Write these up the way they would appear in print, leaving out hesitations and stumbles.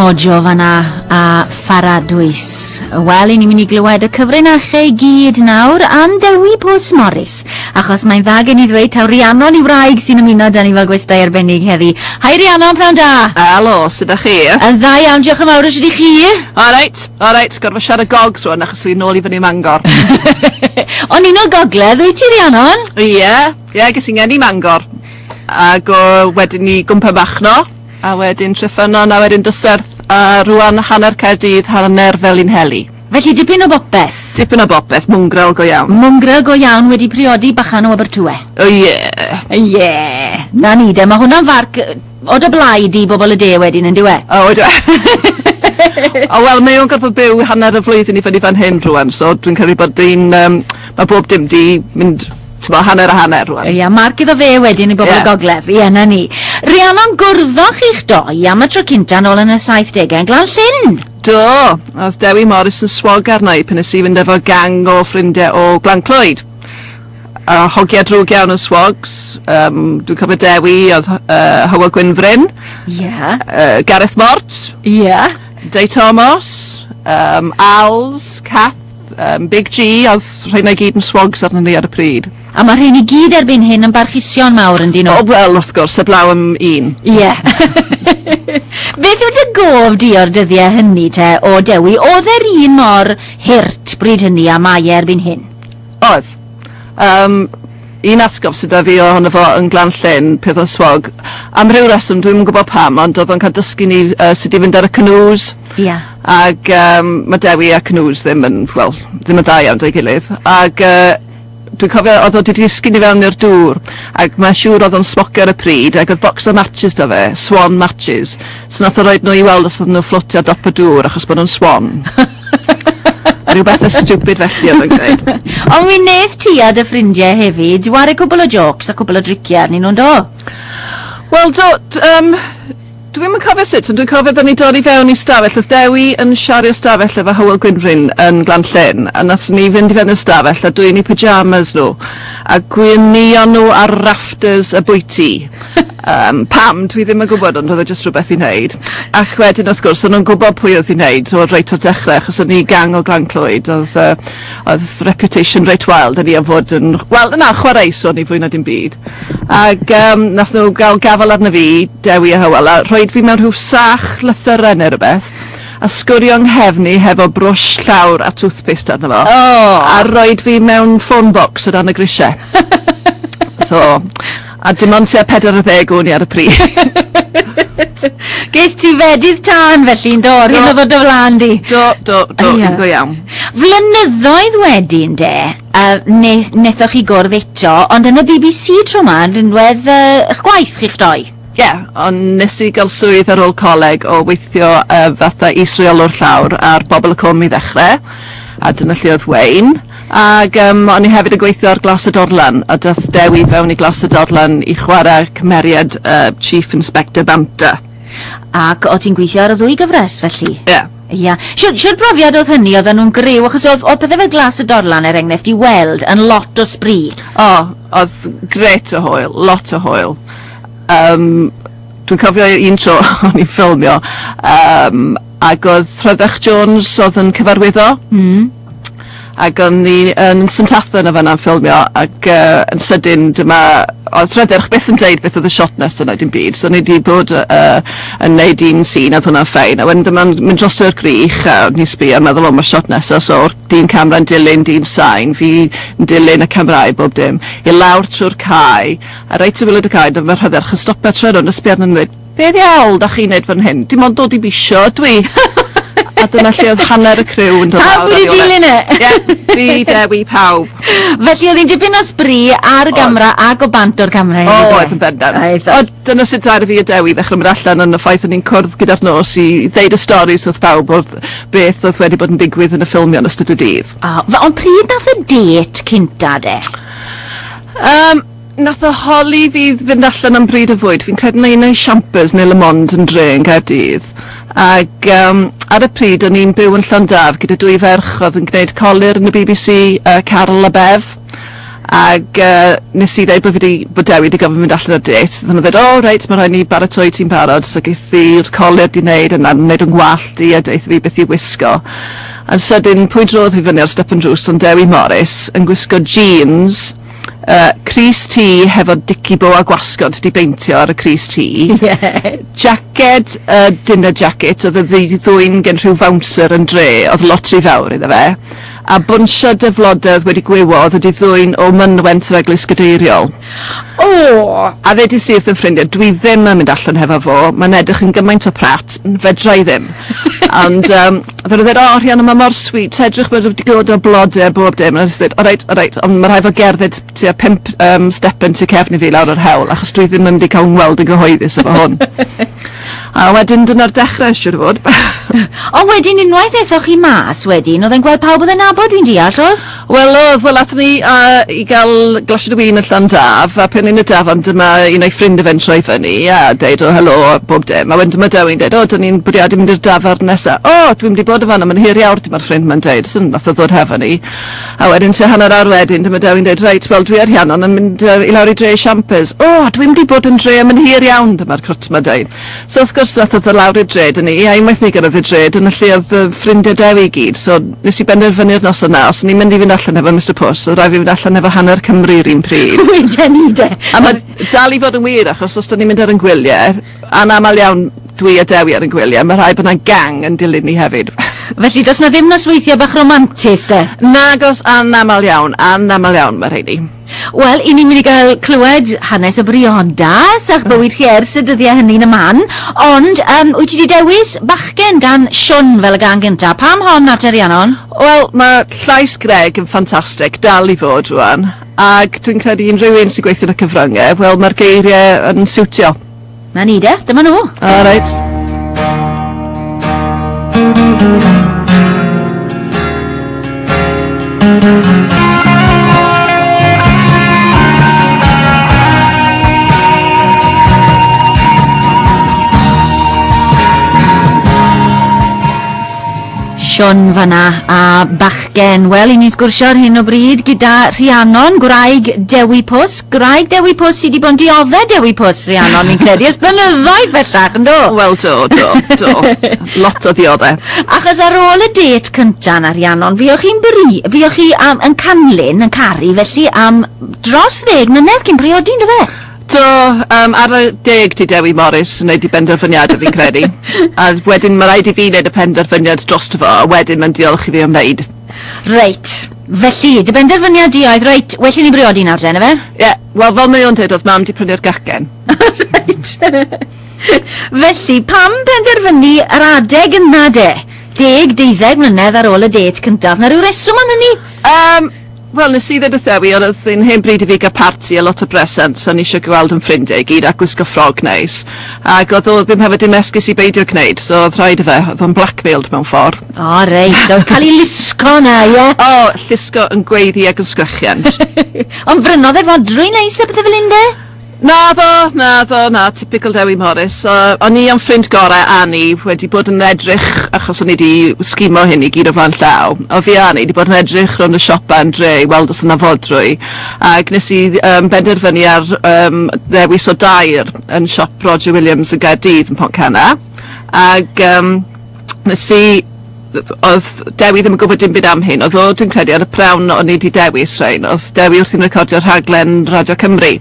Mojo fanna a Pharadwys. Wel, i ni'n mynd i glywed y cyfrinachau i gyd nawr am Dewi Pws Morris, achos mae'n dda gen i ddweud taw Rhiannon i wraig sy'n ymuno 'da ni fel gwestai arbennig heddi. Hi Rhiannon, pnawn da! Helo, sut 'dach chi? Yn dda iawn, diolch yn fawr, a shwt 'y chi? Alright, alright, gorfod siarad gogs rwan achos dwi'n nôl i fyny Mangor. Ond un o'r gogledd wyt ti Rhiannon? Ie, ie, ges i ngeni Mangor. Ag o wedyn i Gwmpa Machno, a wedyn Treffynnon, a wedyn Dyserth, a rwan hanner Caerdydd, hanner Felinheli. Felly dipyn o bopeth. Dipyn o bopeth, mwngrel go iawn. Mwngrel go iawn wedi priodi bachan o Abertawe. O ie. Ie. 'Na ni de, mae hwnna'n farc o dy blaid i bobl y de wedyn yn dyw e? O ydw e? O wel mae o'n gorfod byw hanner y flwyddyn i fyny fan hyn rwan, so dwi'n credu bod dwi'n yym ma' bob dim 'di mynd t'mo' hanner a hanner rwan. Ia, marc iddo fe wedyn i bobl y gogledd. Ie, 'na ni. Rhiannon, gwrddoch chi'ch doi am y tro cynta nôl yn y saithdegau yn Glan Llyn. Do, oedd Dewi Morris yn swog arna i pan nes i fynd efo gang o ffrindiau o Glan Clwyd. A hogia drwg iawn yn swogs. Um, dwi'n cofio Dewi, oedd Hywel Gwynfryn. Ie. Gareth Mort. Ie. Dei Thomas, Als, Kath, Big G, oedd rheina i gyd yn swogs arnon ni ar y pryd. A mae rhein i gyd erbyn hyn yn barchusion mawr yn dyn nhw? O wel, wrth gwrs, heblaw am un. Ie. Beth yw dy gof di o'r dyddiau hynny te, o Dewi? Oedd e'r un mor hurt bryd hynny a mae e erbyn hyn? Oedd. Um, un atgof sydd 'da fi ohono fo yn Glan Llyn, peth o'n swog, am ryw reswm, dwi'm yn gwybod pam, ond oedd o'n cael dysgu ni sut i fynd ar y canoes. Ia. Ag yym ma' Dewi a canoes ddim yn, wel, ddim yn dda iawn 'da'i gilydd. Ag dwi'n cofio oedd o 'di disgyn i fewn i'r dŵr, ac mae'n siŵr oedd o'n smocio ar y pryd, ac oedd bocs o matches 'da fe, swan matches, so nath o roid nhw i weld os oedden nhw'n fflotio ar dop y dŵr achos bod nhw'n swan. Rhyw bethe stupid felly oedd o'n gwneud. Ond mi wnes ti a dy ffrindiau hefyd ware cwpl o jôcs a cwpl o driciau arnyn nhw, yndo? Wel do, yym dwi'm yn cofio sut, ond dwi'n cofio oedden ni'n dod i fewn i stafell, oedd Dewi yn shario stafell efo Hywel Gwynfryn yn Glan Llyn, a nathon ni fynd i fewn i'r stafell a dwyn eu pyjamas nhw, a gwnïo nhw ar rafters y bwyty. Yym pam, dwi ddim yn gwybod, ond oedd e jyst rhywbeth i wneud. Ac wedyn wrth gwrs, o'n nhw'n gwybod pwy oedd i wneud, so reit o'r dechrau, achos o'n ni gang o Glan Clwyd, oedd yy oedd reputation reit wael 'da ni am fod yn, wel na, chwareus o'n i fwy na dim byd. Ac yym nath nhw gael gafael arno fi, Dewi a Hywel, a rhoid fi mewn rhyw sach lythyren neu rywbeth, a sgwrio 'nghefn i hefo brwsh llawr a toothpaste arno fo. O! A roid fi mewn phone box o dan y grisiau. So, a dim ond tua 40 o'n i ar y pryd. Ges ti fedydd tân felly yn do? Yr hyn oedd o dy flan di? Do, do, do, yn go iawn. Flynyddoedd wedyn de, uh, ne, nethoch chi gwrdd eto, ond yn y BBC tro ma, yn rinwedd eich gwaith chi'ch doi. Ie, yeah, ond nes i gael swydd ar ôl coleg o weithio fatha is-reolwr llawr ar Bobl y Cwm i ddechrau, a dyna lle oedd Wayne. Ag yym o'n i hefyd yn gweithio ar Glas y Dorlan a dath Dewi fewn i Glas y Dorlan i chwarae cymeriad Chief Inspector Banta. Ac o' ti'n gweithio ar y ddwy gyfres felly? Ie. Ia. Shwd shwd brofiad oedd hynny? Oedden nhw'n griw? Achos oedd oedd pethe fel Glas y Dorlan er enghraifft i weld yn lot o sbri. O, oedd grêt o hwyl, lot o hwyl. Yym dwi'n cofio un tro o'n i'n ffilmio yym ag oedd Rhydderch Jones oedd yn cyfarwyddo. Hmm. Ac o'n i yn St Athan yn fan'na'n ffilmio ac yy yn sydyn dyma oedd Rhydderch byth yn deud beth oedd y shot nesa na dim byd so o'n i 'di bod yy yn neud un scene a oedd hwnna'n fine a wedyn dyma'n mynd drosto i'r gwrych a o'n i'n sbio a meddwl o ma'r shot nesa so o'r dyn camera'n dilyn dyn sain fi yn dilyn y camerâu bob dim i lawr trwy'r cae a reit ar waelod y cae dyma Rhydderch yn stopio troi rownd a sbio arno ni a dweud Be ddiawl dach chi'n neud fan hyn? Dim ond dod i bisio ydw i. A dyna lle oedd hanner y criw yn dod lawr Pawb wedi dilyn e? Ie, fi, Dewi, pawb. Felly oedd hi'n dipyn o sbri ar y gamera ac o bant o'r camera hefyd. Oedd yn bendant. Oedd. O, dyna sut ddaru fi a Dewi ddechrau mynd allan yn y ffaith o'n i'n cwrdd gyda'r nos i ddeud y storis wrth bawb wrth beth oedd wedi bod yn digwydd yn y ffilmio yn ystod y dydd. O, ond pryd nath y dêt cynta de? Um, Nath o holi fi fynd allan am bryd o fwyd, fi'n credu na un o'i Champers neu Le Monde yn dre yn Gaerdydd. Ag yym ar y pryd o'n i'n byw yn Llandaf gyda dwy ferch oedd yn gwneud colur yn y BBC, Caryl a Bev. Ag nes i ddeud bod fi 'di bod Dewi 'di gofyn mynd allan ar dêt. Nathon nhw ddeud, "O reit, ma' rhaid ni baratoi ti'n barod." So ges i'r colur 'di neud a 'na'n neud yn ngwallt i a deutha fi beth i wisgo. A'n sydyn, pwy drodd fi fyny ar stepen drws ond Dewi Morris yn gwisgo jeans, crys T hefo dicky bow a gwasgod 'di beintio ar y crys T. Jacket, dinner jacket, oedd wedi ddwyn gen rhyw bouncer yn dre, oedd lot rhy fawr iddo fe. A bwnsio dyflodedd wedi gwywo oedd wedi ddwyn o mynwent yr Eglwys Gadeiriol. O! A ddedes i wrth 'y ffrindiau, "Dwi ddim yn mynd allan hefo fo, mae'n edrych yn gymaint o prat, fedra i ddim." Ond oedden nhw'n dweud, "O Rhiannon, mae mor sweet, edrych, mae wedi dod o blodau a bob dim." A nes i ddweud, "Alright, ond mae rhaid fo gerdded tua 5 stepen tu cefn i fi lawr yr hewl, achos dwi ddim yn mynd i cael ngweld yn gyhoeddus efo hwn." A wedyn dyna'r dechrau, siŵr o fod. Ond wedyn unwaith aethoch chi mas wedyn, oedd e'n gweld pawb oedd e'n nabod, dwi'n deall, oedd? Wel oedd, wel athon ni i gael glasied o win yn Llandaf, a pan yn y dafarn dyma un o'i ffrind fe'n troi fyny a deud o helo a bob dim. A wedyn dyma Dewi'n deud, "O, dyn ni'n bwriadu mynd i'r dafarn nesa." "O, dwi'n mynd i bod yn fan'na, mae'n hir iawn," dyma'r ffrind ma'n deud. So nath o ddod hefo ni. A wedyn tua hanner awr wedyn dyma Dewi'n deud, "Reit, wel dwi a Rhiannon yn mynd i lawr i dre i Champers." "O, dwi'n mynd i bod yn dre am yn hir iawn," dyma'r crwt ma'n deud. So wrth gwrs nath o ddod lawr i'r dre 'da ni, a unwaith ni gyrraedd y dre, dyna lle oedd y ffrindiau Dewi i gyd. So nes i benderfynu'r noson 'na, os o'n i'n mynd i fynd allan efo Mr Pws, oedd rhaid fi fynd allan efo hanner Cymru yr un pryd. Weden i de. A mae dal i fod yn wir, achos os 'dan ni'n mynd ar 'yn gwyliau, anamal iawn dwi a Dewi ar 'yn gwyliau, mae rhaid bod 'na gang yn dilyn ni hefyd. Felly does 'na ddim nosweithiau bach romantus de? Nagos, anamal iawn, anamal iawn mae rheini. Wel, i ni'n mynd i gael clywed hanes y briodas a'ch bywyd chi ers y dyddiau hynny'n y man, ond wyt ti wedi dewis Bachgen gan Siôn fel y gân gyntaf? Pam hon at Rhiannon? Wel, mae llais Greg yn ffantastig, dal i fod rwan, ac dwi'n credu unrhyw un sy'n gweithio yn y cyfryngau, wel, mae'r geiriau yn siwtio. Na ni de, dyma nhw. All right. Siôn fanna a Bachgen. Wel, i ni'n sgwrsio ar hyn o bryd gyda Rhiannon, gwraig Dewi Pws. Gwraig Dewi Pws sydd wedi bod yn diodde Dewi Pws, Rhiannon, fi'n credu, ers blynyddoedd bellach, yn do? Wel, do, do, do. Lot o ddiodde. Achos ar ôl y dêt cynta na, Rhiannon, fuoch chi'n bri, fuoch chi am, yn canlyn, yn caru, felly am dros 10 mlynedd cyn priodi, ynddo fe? Do, ar y deg ti Dewi Morris yn neud i benderfyniadau fi'n credu. A wedyn mae rhaid i fi wneud y penderfyniad drosto fo, a wedyn mae'n diolch i fi am wneud. Reit, felly, dy benderfyniad di oedd, reit, well i ni briodi nawr de, na fe? Ie, yeah, wel fel mae o'n dweud, oedd mam di prynu'r gacen. Reit. Felly, pam penderfynu yr adeg yna de? 10, 12 mlynedd ar ôl y dêt cyntaf. Na rhyw reswm am hynny? Wel, nes i ddweud wrth Dewi, ond oedd hi'n hen bryd i fi gael parti a lot o bresents, a ni eisiau gweld yn ffrindiau i gyd a gwisgo ffrog neis. Ac oedd o ddim hefyd dim esgus i beidio gwneud, so oedd rhaid i fe, oedd o'n blackmailed mewn ffordd. O, reit, so cael ei lusgo na, ie? O, llusgo yn gweiddi ac yn sgrechian. Ond frynodd e fodrwy neis a bethau fel un de? Naddo, naddo, na, typical Dewi Morris. O'n i am ffrind gorau Annie wedi bod yn edrych, achos o'n i wedi sgimo hyn i gyd o flaen llaw. O fi a Annie wedi bod yn edrych rownd y siopa yn dre i weld os yna fodrwy. Ac nes i benderfynu ar ddewis o dair yn siop Roger Williams yn Gaerdydd yn Pontcanna. Ac nes i oedd Dewi ddim yn gwybod dim byd am hyn. Oedd o, dwi'n credu, ar y prawn o'n i wedi dewis rhain. Oedd Dewi wrthi'n recordio rhaglen Radio Cymru.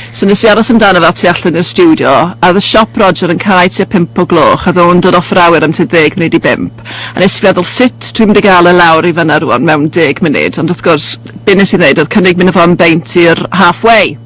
So nes i aros amdano fe tu allan i'r stiwdio, a oedd y siop Roger yn cau tua 5 o gloch, a oedd o'n dod off yr awyr am tua 4:50. A nes i feddwl, sut dwi'n mynd i gael e lawr i fyna rwan mewn 10 munud? Ond wrth gwrs, be nes i ddweud oedd cynnig mynd â fo am beint i'r Halfway.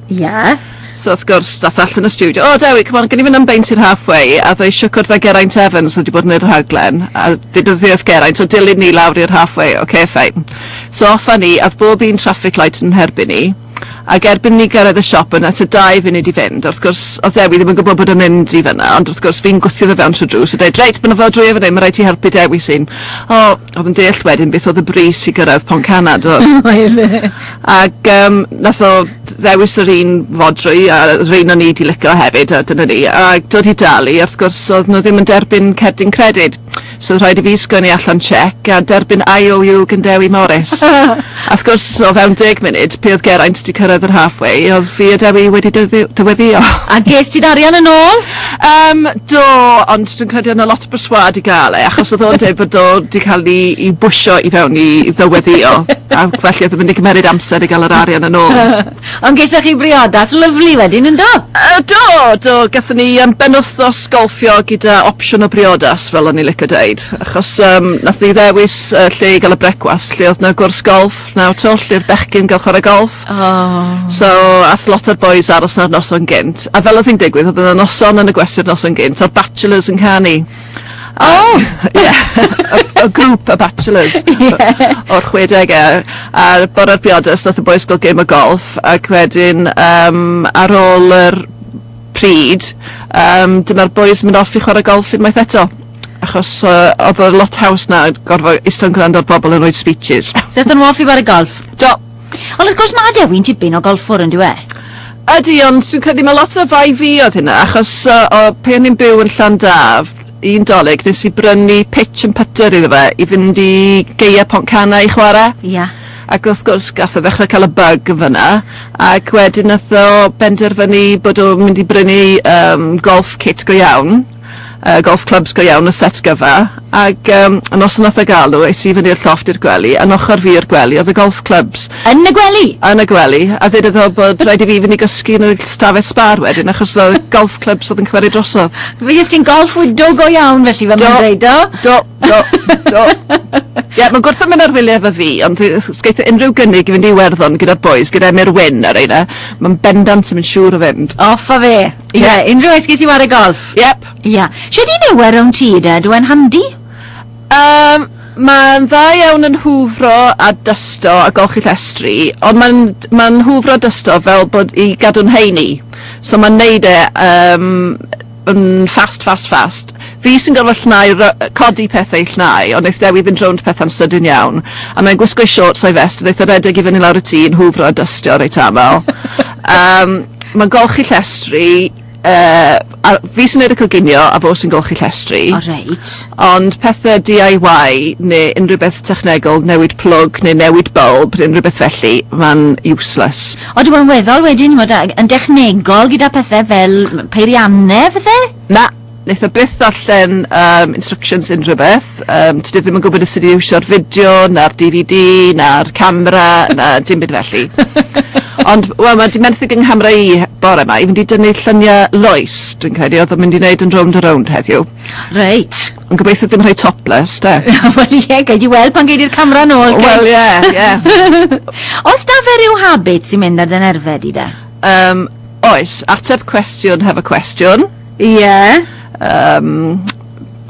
So wrth gwrs, dath allan y stiwdio, "O Dewi, come on, gen i fynd am beint i'r Halfway," a ddoe eisiau cwrdd â Geraint Evans oedd wedi bod yn yr rhaglen, a ddudodd hi wrth Geraint, "O, dilyn ni lawr i'r Halfway." "Okay, fine." So off â ni, a oedd bob un traffic light yn herbyn ni, ac erbyn ni gyrraedd y siop yna, tua 2 funud i fynd, wrth gwrs, oedd Dewi ddim yn gwybod bod yn mynd i fyna, ond wrth gwrs fi'n gwthio fe fewn trwy drws a dweud, "Reit, mae'n fod drwy fan hyn, mae rhaid ti helpu Dewi sy'n." O, oedd yn deall wedyn beth oedd y brys i gyrraedd Pontcanna, do. Ac nath o ddewis yr un fodrwy, a yr un o'n i 'di licio hefyd, a dyna ni. A dod i dalu, wrth gwrs, oedd nhw ddim yn derbyn cerdyn credyd. So oedd rhaid i fi sgwennu allan cheque a derbyn IOU gan Dewi Morris. A wrth gwrs, o fewn 10 munud, pe oedd Geraint 'di cyrraedd yr halfway, oedd fi a Dewi wedi dyweddio. A ges ti'r arian yn ôl? Do, ond dwi'n credu oedd 'na lot o berswâd i gael e, achos oedd o'n dweud bod o 'di cael ei bwsio i fewn i ddyweddio, a felly oedd o'n mynd i gymeryd amser i gael yr arian yn ôl. Ond gesoch chi briodas lyfli wedyn, yn do? Do, gathon ni benwythnos golffio gyda opsiwn o briodas, fel o'n i'n licio deud, achos nath ni ddewis lle i gael y brecwast, lle oedd 'na gwrs golff 9 twll i'r bechgyn gael chwarae golff. Oh. So, ath lot o'r boys aros na'r noson gynt. A fel oedd hi'n digwydd, oedd yna noson yn y gwesty'r noson gynt, o'r Bachelors yn canu. Oh! Ie, y grŵp y Bachelors o'r 60au. A'r bore'r briodas, nath y boys gael game o golff, ac wedyn ar ôl yr pryd, dyma'r boys mynd off i chwarae golff unwaith eto. Achos oedd o lot haws na gorfod eistedd yn gwrando ar bobl yn rhoi speeches. So aethon nhw off i chwarae golff? Do. Ond wrth gwrs mae Dewi'n tipyn o golffwr yn dyw e? Ydy, ond dwi'n credu mae lot o fai fi oedd hynna, achos o, pe o'n i'n byw yn Llandaf, un Dolig, nes i brynu pitch and putter iddo fe i fynd i Gaeau Pontcanna i chwarae. Ac wrth gwrs gath o ddechrau cael y bug yn fyna, ac wedyn nath o benderfynu bod o'n mynd i brynu golf kit go iawn, golf clubs go iawn, y set gyfa, ac y noson nath o gael nhw, es i fyny i'r llofft i'r gwely, a'n ochr fi i'r gwely oedd y golf clubs. Yn y gwely? Yn y gwely, a ddedodd o bod rhaid i fi fynd i gysgu yn y stafell sbar wedyn, achos oedd golf clubs oedd yn cymeru drosodd. Fe jest ti'n golf widow go iawn felly, fel mae'n dweud, do? Do. Ie, yeah, mae'n gwrthod mynd ar wyliau efo fi, ond sgeith o unrhyw gynnig i fynd i Iwerddon gyda'r boys, gyda Emyr Wyn ar reina, mae'n bendant yn mynd siŵr o fynd. Off a fe. Ie, yeah, unrhyw esgus i ware golff. Yep. Ie. Yeah. Shwt un yw e rownd ti de? Dyw e'n handi? Mae'n dda iawn yn hwfro a dysto a golchi llestri, ond mae'n hwfro a dysto fel bod i gadw'n heini. So mae'n neud e yn fast, fast, fast. Fi sy'n gorfod llnau, codi pethau i llnau, ond wneith Dewi fynd rownd pethau'n sydyn iawn. A mae'n gwisgo shorts o'i vest, a wneith o redeg i fyny lawr y tŷ yn hwfro a dystio reit aml. Mae'n golchi llestri, a fi sy'n neud y coginio a fo sy'n golchi llestri. O reit. Ond pethau DIY neu unrhyw beth technegol, newid plwg neu newid bulb neu unrhyw beth felly, mae'n useless. O, dwi'n weddol wedyn, mod, yn dechnegol gyda pethau fel peiriannau, pethau? Na, wneith o byth ddarllen instructions unrhyw beth. Tydi ddim yn gwybod sut i iwsio'r fideo, na'r DVD, na'r camera, na dim byd felly. Ond, wel, mae di menthyg yng nghamera i bore yma i fynd i dynnu lluniau Lois, dwi'n credu, oedd o'n mynd i wneud yn Rownd a Rownd heddiw. Reit. Ond gobeithio ddim rhai topless, de. Wel ie, gei di weld pan gei di'r camera nôl. Wel, ie. Oes da fe ryw habit sy'n mynd ar dy nerfau di de? Oes, ateb cwestiwn hefo cwestiwn. Ie. Yeah.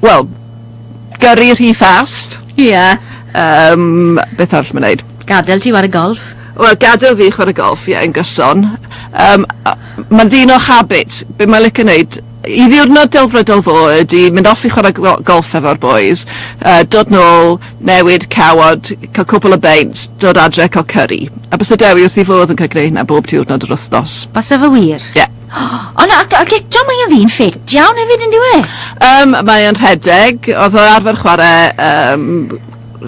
Wel, gyrru rhy fast. Ie. Yeah. Beth arall mae'n neud? Gadael ti ware golff. Wel, gadael fi chwarae golff, ie, yn gyson. Mae'n ddyn o habit. Be mae'n licio neud, i ddiwrnod delfrydol fo ydy mynd off i chwarae golff efo'r boys, dod nôl, newid cawod, cael cwpl o beints, dod adre, cael curry. A bysa Dewi wrth ei fodd yn cael gwneud hynna bob diwrnod yr wythnos. Bysa fe wir? Ie. Yeah. Ond ac eto mae'n ddyn ffit iawn hefyd yn dyw e? Mae'n rhedeg, oedd o arfer chwarae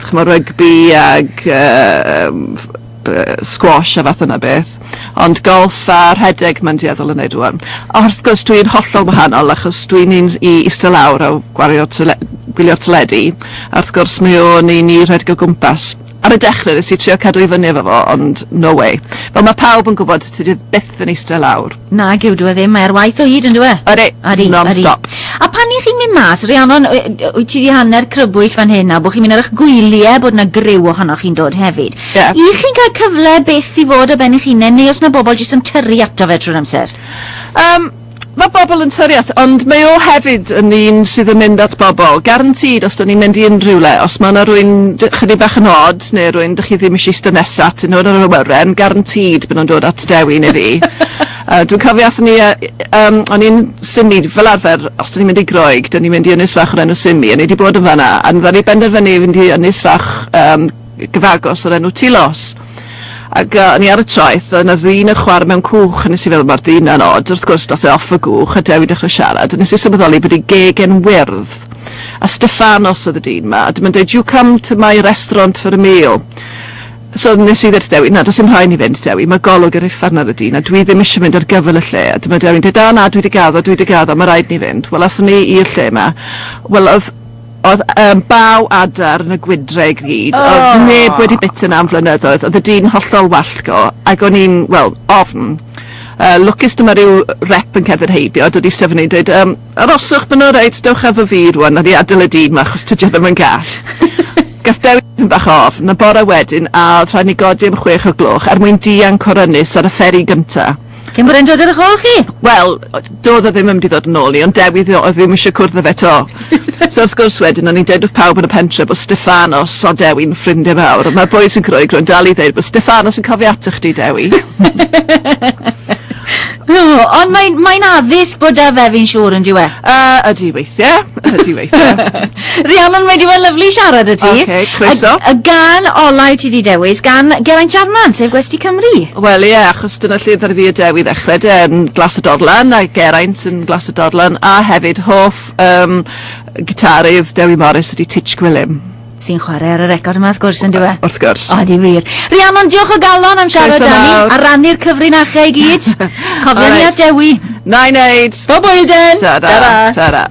ch'mo' rygbi ag squash a fath yna beth. Ond golff a rhedeg mae'n dueddol yn neud rŵan. A wrth gwrs dwi'n hollol wahanol achos dwi'n un i eistedd lawr a gwario gwylio'r teledu. A wrth gwrs mae o'n un i rhedeg o gwmpas. Ar y dechrau nes i trio cadw i fyny efo fo, ond no way. Fel mae pawb yn gwybod, tydi byth yn eistedd lawr. Na, gyw, dwi e ddim, mae ar waith o hyd yn dyw e? Ydy, non-stop. A pan i chi'n mynd mas, Rhiannon, wyt ti di hanner crybwyll fan hyn a bod chi'n mynd ar eich gwyliau bod na griw ohonoch chi'n dod hefyd. Yeah. I chi'n cael cyfle beth i fod ar ben eich hunain, neu os na bobl jyst yn tyrru ato fe trwy'r amser? Mae bobl yn tyrru at, ond mae o hefyd yn un sydd yn mynd at bobl. Guaranteed, os da ni'n mynd i unrhyw le, os mae yna rywun chydig bach yn odd, neu rywun dych chi ddim eisiau eistedd nesa atyn nhw yn yr awyren, guaranteed bod nhw'n dod at Dewi neu fi. Dwi'n cofio athon ni, o'n i'n Simi, fel arfer, os da ni'n mynd i Groeg, da ni'n mynd i ynys fach o'r enw Simi, a ni wedi bod yn fanna, a dda ni benderfynu i fynd i ynys fach gyfagos o'r enw Tilos. Ac o'n i ar y traeth, a yna ddyn yn chwarae mewn cwch, a nes i feddwl mae'r dyn yn odd. Wrth gwrs, dath e off y gwch, a Dewi dechrau siarad, a nes i sylweddoli bod ei geg yn wyrdd. A Steffanos oedd y dyn 'ma, a dyma'n dweud, "You come to my restaurant for a meal." So nes i ddweud Dewi, "Na, does dim rhaid ni fynd, Dewi, mae golwg yr uffern ar y dyn, a dwi ddim eisiau mynd ar gyfer y lle." A dyma Dewi'n dweud, "O na, dwi 'di gaddo, dwi 'di gaddo, mae rhaid ni fynd." Wel, athon ni i'r lle 'ma. Wel, oedd baw adar yn y gwydre i gyd. Oh. Oedd neb wedi bita 'na am flynyddoedd. Oedd y dyn hollol wallgo, ac o'n i'n, wel, ofn. Lwcus dyma rhyw rep yn cerdded heibio, dod i Stefan i'n dweud, "Aroswch, ma'n reit, dewch efo fi rwan, a ni adael y dyn 'ma, achos tydi o ddim yn gall." Gath Dewi tipyn bach o ofn, a bore wedyn, a oedd rhaid ni godi am 6 o'r gloch er mwyn dianc o'r ynys ar y fferi gynta. Cyn bod e'n dod ar eich ôl chi? Wel, doedd o ddim yn mynd i ddod yn ôl ni, ond Dewi oedd ddim eisiau cwrdd â fe 'to. So wrth gwrs wedyn, o'n i'n deud wrth pawb yn y pentre bod Steffanos o Dewi'n ffrindiau mawr, a mae'r boys yn Groegro yn dal i ddeud bod Steffanos yn cofio ato chdi, Dewi. Oh, ond mae'n addysg bod 'da fe, fi'n siŵr, yn diwe. Ydy weithiau, ydy weithiau. Rhiannon, mae 'di bod yn lyfli siarad â ti. Ocê, croeso. Y gân olau ti 'di dewis gan Geraint Jarman, sef Gwesty Cymru. Wel ie, achos dyna lle ddaru fi a Dewi ddechrau de, yn Glas y Dorlan, a Geraint yn Glas y Dorlan, a hefyd hoff gitarydd Dewi Morris ydy Titch Gwilym. Sy'n chwarae ar y record yma, wrth gwrs, yn diwe. Wrth gwrs. O, di wir. Rhiannon, diolch o galon am siarad Croeso â ni, mawr. a rannu'r cyfrinachau i gyd. Cofio ni Alright. a Dewi. Na i wneud. Bob blwyddyn! Ta-ra. Ta-ra. Ta-ra.